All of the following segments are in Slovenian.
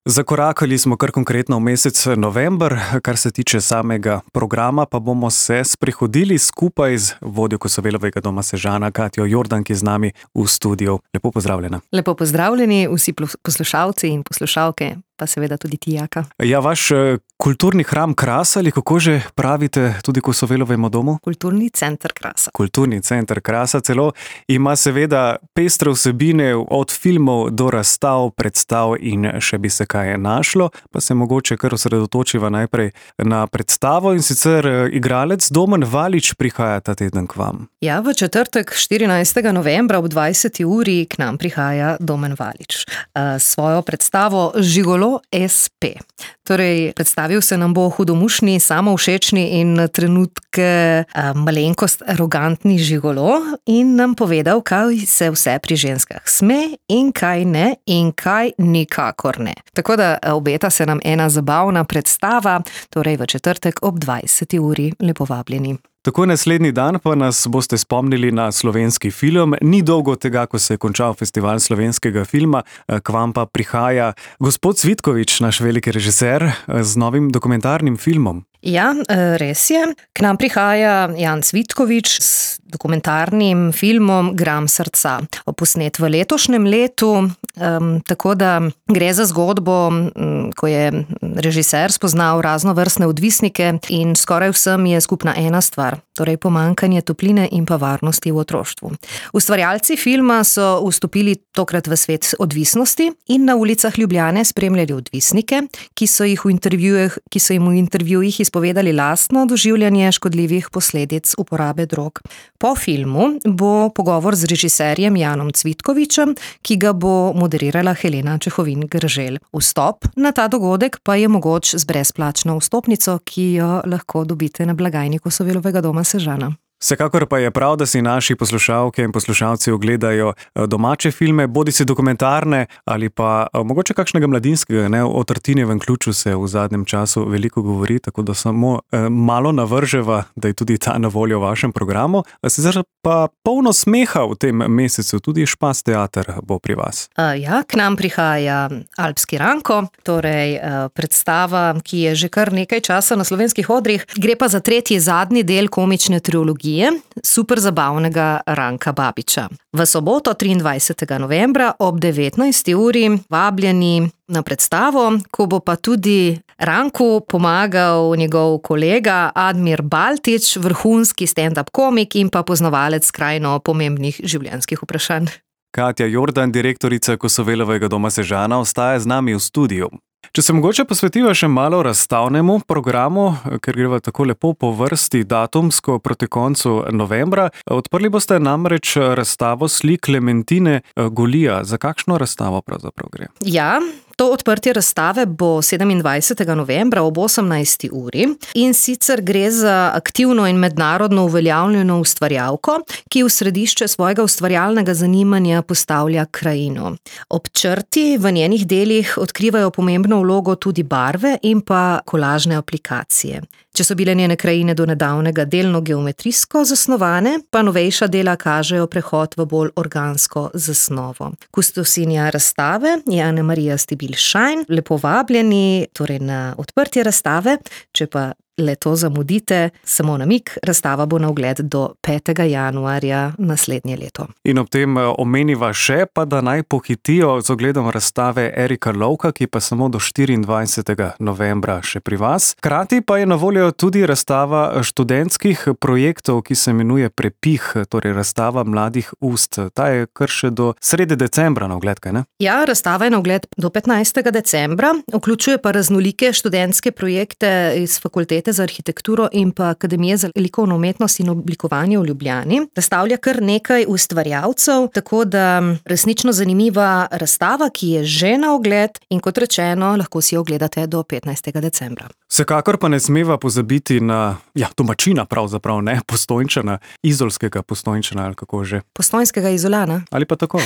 Zakorakali smo kar konkretno v mesec november, kar se tiče samega programa, pa bomo se sprehodili skupaj z vodjo Kosovelovega doma Sežana, Katjo Jordan, ki je z nami v studiu. Lepo pozdravljena. Lepo pozdravljeni vsi poslušalci in poslušalke, pa seveda tudi ti, Jaka. Ja, vaš kulturni hram Kras, ali kako že pravite tudi Kosovelovemu domu? Kulturni center Krasa. Kulturni center Krasa celo ima seveda pestre vsebine od filmov do razstav, predstav in še bi se kaj našlo, pa se mogoče kar osredotočiva najprej na predstavo, in sicer igralec Domen Valič prihaja ta teden k vam. Ja, v četrtek 14. novembra ob 20. uri k nam prihaja Domen Valič. Svojo predstavo Žigolo SP. Torej, predstavil se nam bo hudomušni, samovšečni in na trenutke malenkost arogantni žigolo in nam povedal, kaj se vse pri ženskah sme in kaj ne in kaj nikakor ne. Tako da obeta se nam ena zabavna predstava, torej v četrtek ob 20. uri. Lepo vabljeni. Tako naslednji dan pa nas boste spomnili na slovenski film. Ni dolgo tega, ko se je končal festival slovenskega filma, k vam pa prihaja gospod Cvitkovič, naš veliki režiser, z novim dokumentarnim filmom. Ja, res je. K nam prihaja Jan Cvitkovič s dokumentarnim filmom Gram srca. Posnet v letošnjem letu, tako da gre za zgodbo, ko je režiser spoznal raznovrstne odvisnike in skoraj vsem je skupna ena stvar, torej pomanjkanje topline in pa varnosti v otroštvu. Ustvarjalci filma so vstopili tokrat v svet odvisnosti in na ulicah Ljubljane spremljali odvisnike, ki so jim v intervjujih izpovedali lastno doživljanje škodljivih posledic uporabe drog. Po filmu bo pogovor z režiserjem Janom Cvitkovičem, ki ga bo moderirala Helena Čehovin Grželj. Vstop na ta dogodek pa je mogoč z brezplačno vstopnico, ki jo lahko dobite na blagajni Kosovelovega doma Sežana. Vsekakor pa je prav, da si naši poslušalke in poslušalci ogledajo domače filme, bodisi dokumentarne ali pa mogoče kakšnega mladinskega. O Tartinijevem ključu se v zadnjem času veliko govori, tako da samo malo navrževa, da je tudi ta na voljo v vašem programu. Sicer pa polno smeha v tem mesecu, tudi Špas teater bo pri vas. Ja, k nam prihaja Alpski Ranko, torej predstava, ki je že kar nekaj časa na slovenskih odrih. Gre pa za tretji, zadnji del komične trilogije super zabavnega Ranka Babiča. V soboto 23. novembra ob 19. uri vabljeni na predstavo, ko bo pa tudi Ranku pomagal njegov kolega Admir Baltič, vrhunski stand-up komik in pa poznavalec skrajno pomembnih življenjskih vprašanj. Katja Jordan, direktorica Kosovelovega doma Sežana, ostaja z nami v studiu. Če se mogoče posvetiva še malo razstavnemu programu, ker greva tako lepo po vrsti datumsko proti koncu novembra, odprli boste namreč razstavo slik Klementine Golija. Za kakšno razstavo pravzaprav gre? Ja, to odprtje razstave bo 27. novembra ob 18. uri in sicer gre za aktivno in mednarodno uveljavljeno ustvarjalko, ki v središče svojega ustvarjalnega zanimanja postavlja krajino. Ob črti v njenih delih odkrivajo pomembno vlogo tudi barve in pa kolažne aplikacije. Če so bile njene krajine do nedavnega delno geometrijsko zasnovane, pa novejša dela kažejo prehod v bolj organsko zasnovo. Kustosinja razstave je Ana Marija Stibilšajn. Lepo vabljeni torej na odprtje razstave, če pa leto zamudite, samo namig, razstava bo na ogled do 5. januarja naslednje leto. In ob tem omeniva še, pa da naj pohitijo z ogledom razstave Erika Lovka, ki pa samo do 24. novembra še pri vas. Hkrati pa je na voljo tudi razstava študentskih projektov, ki se imenuje Prepih, torej razstava mladih ust. Ta je kar še do srede decembra na ogled, kaj ne? Ja, razstava je na ogled do 15. decembra, vključuje pa raznolike študentske projekte iz fakultete za arhitekturo in pa Akademije za likovno umetnost in oblikovanje v Ljubljani. Razstavlja kar nekaj ustvarjalcev, tako da resnično zanimiva razstava, ki je že na ogled in kot rečeno, lahko si jo ogledate do 15. decembra. Vsekakor pa ne smeva pozabiti na, domačina pravzaprav, ne, Postojnčana, izolskega Postojnčana, ali kako že. Postojnskega Izolana. Ali pa tako.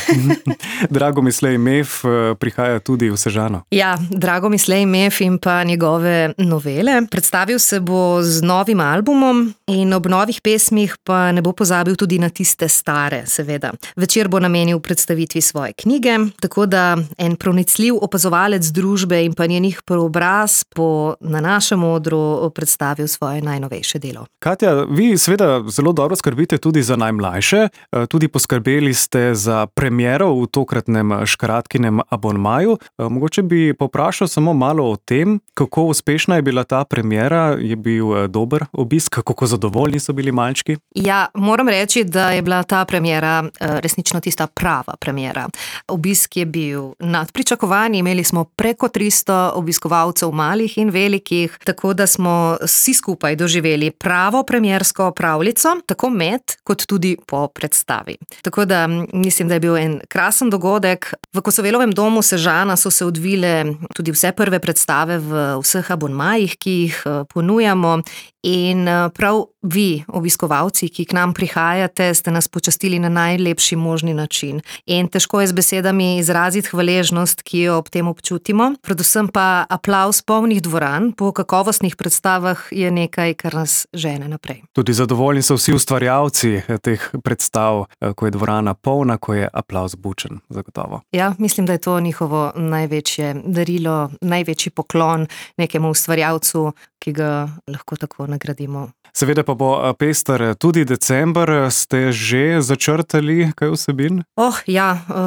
Dragomislej Mef prihaja tudi v Sežano. Ja, Dragomislej Mef in pa njegove novele. Predstavil se bo z novim albumom in ob novih pesmih pa ne bo pozabil tudi na tiste stare, seveda. Večer bo namenil predstavitvi svoje knjige, tako da en pronicljiv opazovalec družbe in pa njenih preobraz bo na našem odru predstavil svoje najnovejše delo. Katja, vi seveda zelo dobro skrbite tudi za najmlajše, tudi poskrbeli ste za premiero v tokratnem Škratkinem abonmaju. Mogoče bi poprašal samo malo o tem, kako uspešna je bila ta premiera, je bil dober obisk, kako zadovoljni so bili malčki? Ja, moram reči, da je bila ta premiera resnično tista prava premiera. Obisk je bil nad pričakovanji, imeli smo preko 300 obiskovalcev malih in velikih, tako da smo vsi skupaj doživeli pravo premiersko pravljico, tako med kot tudi po predstavi. Tako da mislim, da je bil en krasen dogodek. V Kosovelovem domu Sežana so se odvile tudi vse prve predstave v vseh abonmajih, ki jih ponujamo. In prav vi, obiskovalci, ki k nam prihajate, ste nas počastili na najlepši možni način. In težko je z besedami izraziti hvaležnost, ki jo ob tem občutimo. Predvsem pa aplavz polnih dvoran po kakovostnih predstavah je nekaj, kar nas žene naprej. Tudi zadovoljni so vsi ustvarjalci teh predstav, ko je dvorana polna, ko je aplavz bučen, zagotovo. Ja, mislim, da je to njihovo največje darilo, največji poklon nekemu ustvarjalcu, ki ga lahko tako nagradimo. Seveda pa bo pester tudi december. Ste že začrtali kaj vsebin?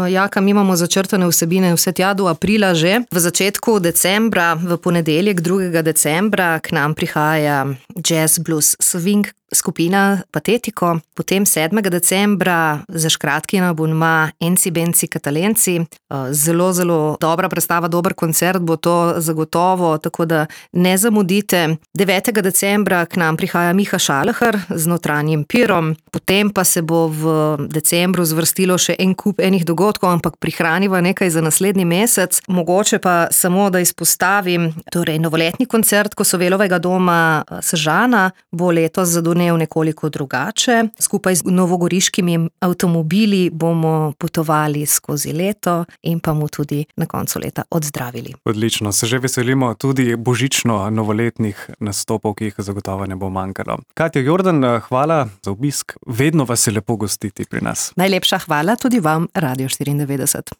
Jaka, mi imamo začrtane vsebine vse tja do aprila že. V začetku decembra, v ponedeljek 2. decembra, k nam prihaja jazz, blues, swing skupina Patetiko. Potem 7. decembra za Škratkin abonma Enci Benci Katalenci. Zelo, zelo dobra predstava, dober koncert bo to zagotovo, tako da ne zamudite. 9. decembra k nam prihaja Miha Šalahar z Notranjim pirom. Potem pa se bo v decembru zvrstilo še en kup enih dogodkov, ampak prihraniva nekaj za naslednji mesec. Mogoče pa samo, da izpostavim, torej novoletni koncert Kosovelovega doma Sežana bo letos zadonel nekoliko drugače. Skupaj z novogoriškimi avtomobili bomo potovali skozi leto in pa mu tudi na koncu leta odzdravili. Odlično, se že veselimo tudi božično-novoletnih nastopov, ki jih zagotovo ne bo manjkalo. Katja Jordan, hvala za obisk. Vedno vas je lepo gostiti pri nas. Najlepša hvala tudi vam, Radio 94.